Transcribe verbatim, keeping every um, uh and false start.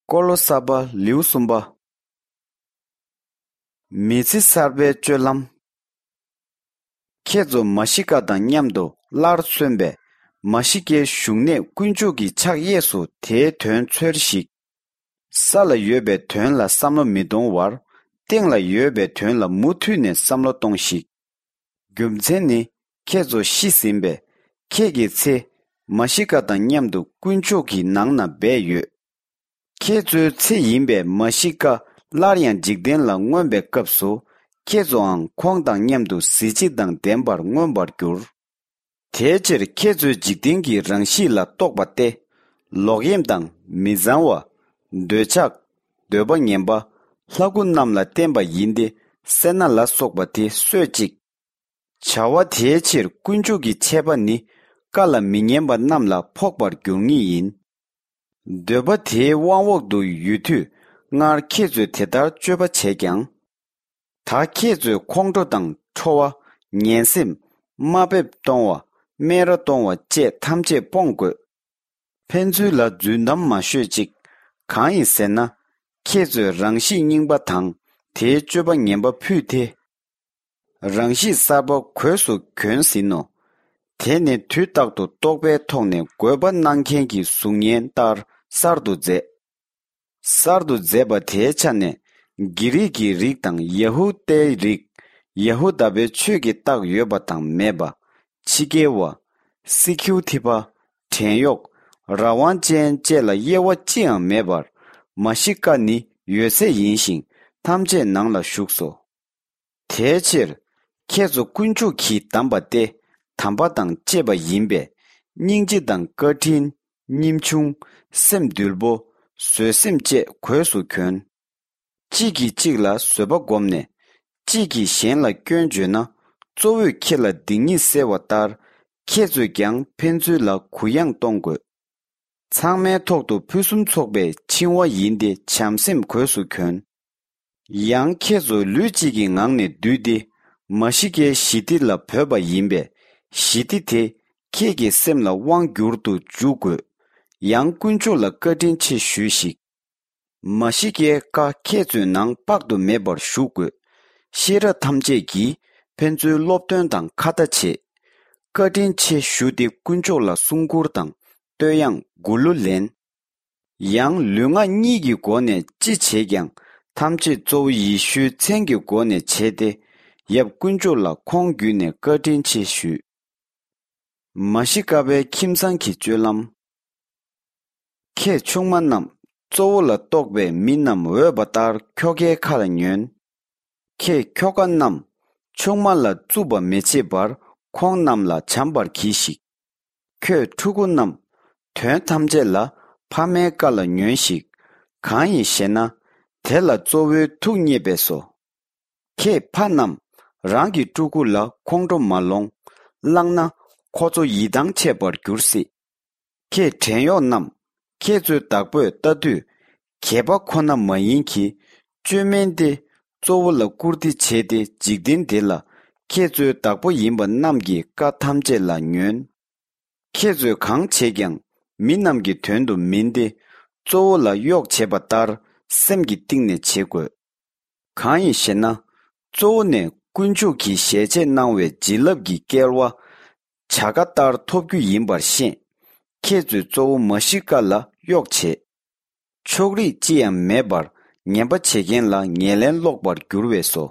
ཀོ་ལོ་ས་པ་ལེའུ་གསུམ་པ། མི་ཚེ་གསར་པའི་སྤྱོད་ལམ། ཁྱེད་ཚོ་མ་ཤི་ཀ་དང་མཉམ་དུ་སླར་གསོན་པས། མ་ཤི་ཀའི་བཞུགས་གནས་དཀོན་མཆོག་གི་ཕྱག་གཡས་སུ་དེའི་དོན་འཚོལ་ཞིག། ས་ལ་ཡོད་པའི་དོན་ལ་བསམ་བློ་མི་གཏོང་བར། སྟེང་ལ་ཡོད་པའི་དོན་ལ་མུ་མཐུད་ནས་བསམ་བློ་གཏོང་ཞིག། རྒྱུ་མཚན་ནི། ཁྱེད་ཚོ་ཤི་ཟིན་པས། ཁྱེད་ཀྱི་ཚེ། མ་ཤི་ཀ་དང་མཉམ་དུ་དཀོན་མཆོག་གི་ནང་ན་སྦས་ཡོད། ཁྱེད་ཚོའི་ཚེ་ཡིན་པས་མ་ཤི་ཀ་སླར་ཡང་འཇིག་རྟེན་ལ་མངོན་པའི་སྐབས་སུ། ཁྱེད་ཚོའང་ཁོང་དང་མཉམ་དུ་གཟི་བརྗིད་དང་ལྡན་པར་མངོན་པར་འགྱུར། དེའི་ཕྱིར་ཁྱེད་ཚོས་འཇིག་རྟེན་གྱི་རང་གཤིས་ལ་གཏོགས་པ་སྟེ། ལོག་གཡེམ་དང་མི་གཙང་བ། འདོད་ཆགས། འདོད་པ་ངན་པ། ལྷ་སྐུ་རྣམས་ལ་བརྟེན་པ་ཡིན་ཏེ། སེར་སྣ་ལ་སོགས་པ་དེ་གསོད་ཅིག། བྱ་བ་དེའི་ཕྱིར་དཀོན་མཆོག་གི་ཆད་པ་ནི། བཀའ་ལ་མི་ཉན་པ་རྣམས་ལ་ཕོག་པར་འགྱུར་ངེས་ཡིན། འདོད་པ་དེའི་དབང་འོག་ཏུ་ཡོད་དུས། སྔར་ཁྱེད་ཚོས་དེ་ལྟར་སྤྱོད་པ་བྱས་ཀྱང་། ད་ཁྱེད་ཚོས་ཁོང་ཁྲོ་དང་ཁྲོ་བ། ངན་སེམས། དམའ་འབེབས་གཏོང་བ། སྨད་ར་གཏོང་བ་བཅས་ཐམས་ཅད་སྤོང་དགོས། ཕན་ཚུན་ལ་རྫུན་གཏམ་མ་ཤོད་ཅིག། གང་ཡིན་ཟེར་ན། ཁྱེད་ཚོས་རང་གཤིས་རྙིང་པ་དང་དེའི་སྤྱོད་པ་ངན་པ་ཕུད་དེ། རང་གཤིས་གསར་པ་གོས་སུ་གྱོན་ཟིན་ནོ། དེ་ནི་དུས་རྟག་ཏུ་རྟོག་པའི་ཐོག་ནས་དགོས་པ་གནང་མཁན་གྱི་གཟུགས་བརྙན་ལྟར་གསར་དུ་མཛད། གསར་དུ་མཛད་པ་དེའི་ཆ་ནས། གྷི་རིག་གི་རིགས་དང་ཡ་ཧུ་དཱའི་རིགས། ཡ་ཧུ་དཱ་པའི་ཆོས་ཀྱི་རྟགས་ཡོད་པ་དང་མེད་པ། ཕྱི་རྒྱལ་བ། སི་ཁིའུ་ཐི་པ། བྲན་གཡོག་རང་དབང་ཅན་བཅས་ལ་དབྱེ་བ་ཅི་ཡང་མེད་པར། མ་ཤི་ཀ་ནི་ཡོད་ཚད་ཡིན་ཞིང་། ཐམས་ཅད་ནང་ལ་ཞུགས་སོ། དེའི་ཕྱིར། ཁྱེད་ཚོ་དཀོན་མཆོག་གིས་བདམས་པ་སྟེ། དམ་པ་དང་བཅས་པ་ཡིན་པས། སྙིང་རྗེ་དང་བཀའ་དྲིན། ཉིན་ཆུང་། སེམས་དུལ་པོ། བཟོད་སེམས་བཅས་གོས་སུ་གྱོན། གཅིག་གིས་གཅིག་ལ་བཟོད་པ་བསྒོམས་ནས། གཅིག་གིས་གཞན་ལ་སྐྱོན་བརྗོད་ན། གཙོ་བོས་ཁྱེད་ལ་སྡིག་ཉེས་སེལ་བ་ལྟར། ཁྱེད་ཚོས་ཀྱང་ཕན་ཚུན་ལ་གུ་ཡངས་གཏོང་དགོས། ཚང་མའི་ཐོག་ཏུ་ཕུན་སུམ་ཚོགས་པའི་འཆིང་བ་ཡིན་ཏེ། བྱམས་སེམས་གོས་སུ་གྱོན། ཡང་ཁྱེད་ཚོ་ལུས་གཅིག་གི་ངང་ནས་འདུས་ཏེ། མ་ཤི་ཀའི་ཞི་བདེ་ལ་འབོད་པ་ཡིན་པས། ཞི་བདེ་དེ་ཁྱེད་ཀྱི་སེམས་ལ་དབང་བསྒྱུར་དུ་འཇུག་དགོས། ཡང་དཀོན་མཆོག་ལ་བཀའ་དྲིན་ཆེ་ཞུས་ཤིག། མ་ཤི་ཀའི་བཀའ་ཁྱེད་ཚོའི་ནང་དཔག་ཏུ་མེད་པར་ཞུ་དགོས། ཤེས་རབ་ཐམས་ཅད་ཀྱིས་ཕན་ཚུན་སློབ་སྟོན་དང་ཁ་ཏ་བྱེད། བཀའ་དྲིན་ཆེ་ཞུ་སྟེ་དཀོན་མཆོག་ལ་གསུང་མགུར་དང་བསྟོད་དབྱངས་མགུར་གླུ་ལེན། ཡང་ལུས་ངག་གཉིས་ཀྱི་སྒོ་ནས་ཅི་བྱེད་ཀྱང་། ཐམས་ཅད་གཙོ་བོ་ཡེ་ཤུའི་མཚན་གྱི་སྒོ་ནས་བྱས་ཏེ། ཡབ་དཀོན་མཆོག་ལ་ཁོང་བརྒྱུད་ནས་བཀའ་དྲིན་ཆེ་ཞུས། མ་ཤི་ཀ་པའི་ཁྱིམ་ཚང་གི་སྤྱོད་ལམ། ཁྱེད་ཆུང་མ་རྣམས། གཙོ་བོ་ལ་གཏོགས་པའི་མི་རྣམས་འོས་པ་ལྟར་ཁྱོ་གའི་ཁ་ལ་ཉོན། ཁྱེད་ཁྱོ་ག་རྣམས། ཆུང་མ་ལ་རྩུབ་པ་མི་བྱེད་པར། ཁོང་རྣམས་ལ་བྱམས་པར་གྱིས་ཤིག། ཁྱོད་ཕྲུ་གུ་རྣམས། དོན་ཐམས་ཅད་ལ་ཕ་མའི་བཀའ་ལ་ཉོན་ཞིག། གང་ཡིན་ཞེ་ན། དེ་ལ་གཙོ་བོའི་ཐུགས་མཉེས་པས་སོ། ཁྱེད་ཕ་རྣམས། རང་གི་ཕྲུ་གུ་ལ་ཁོང་ཁྲོ་མ་ལོངས། བླངས་ན། ཁོ་ཚོ་ཡིད་ཐང་ཆད་པར་འགྱུར་སྲིད། ཁྱེད་བྲན་གཡོག་རྣམས། ཁྱེད་ཚོའི་བདག་པོས་ལྟ་དུས། གད་པ་ཁོ་ན་མ་ཡིན་གྱི། བཅོས་མིན་ཏེ། གཙོ་བོ་ལ་བཀུར་སྟི་བྱས་ཏེ། འཇིག་རྟེན་འདི་ལ། ཁྱེད་ཚོའི་བདག་པོ་ཡིན་པ་རྣམས་ཀྱི་བཀའ་ཐམས་ཅད་ལ་ཉོན། ཁྱེད་ཚོས་གང་བྱེད་ཀྱང་། མི་རྣམས་ཀྱི་དོན་དུ་མིན་ཏེ། གཙོ་བོ་ལ་གཡོག་བྱེད་པ་ལྟར། སེམས་ཀྱི་གཏིང་ནས་བྱེད་དགོས། གང་ཡིན་ཞེ་ན། གཙོ་བོ་ནས་དཀོན་མཆོག་གིས་ཞལ་ཆད་གནང་བའི་བྱིན་རླབས་ཀྱི་སྐལ་བ། བྱ་དགའ་ལྟར་ཐོབ་རྒྱུ་ཡིན་པར་ཤེས། ཁྱེད་ཚོས་གཙོ་བོ་མ་ཤི་ཀ་ལ་གཡོག་བྱེད། ཕྱོགས་རིས་ཅི་ཡང་མེད་པར། ངན་པ་བྱེད་མཁན་ལ་ངན་ལན་སློག་པར་འགྱུར་བས་སོ།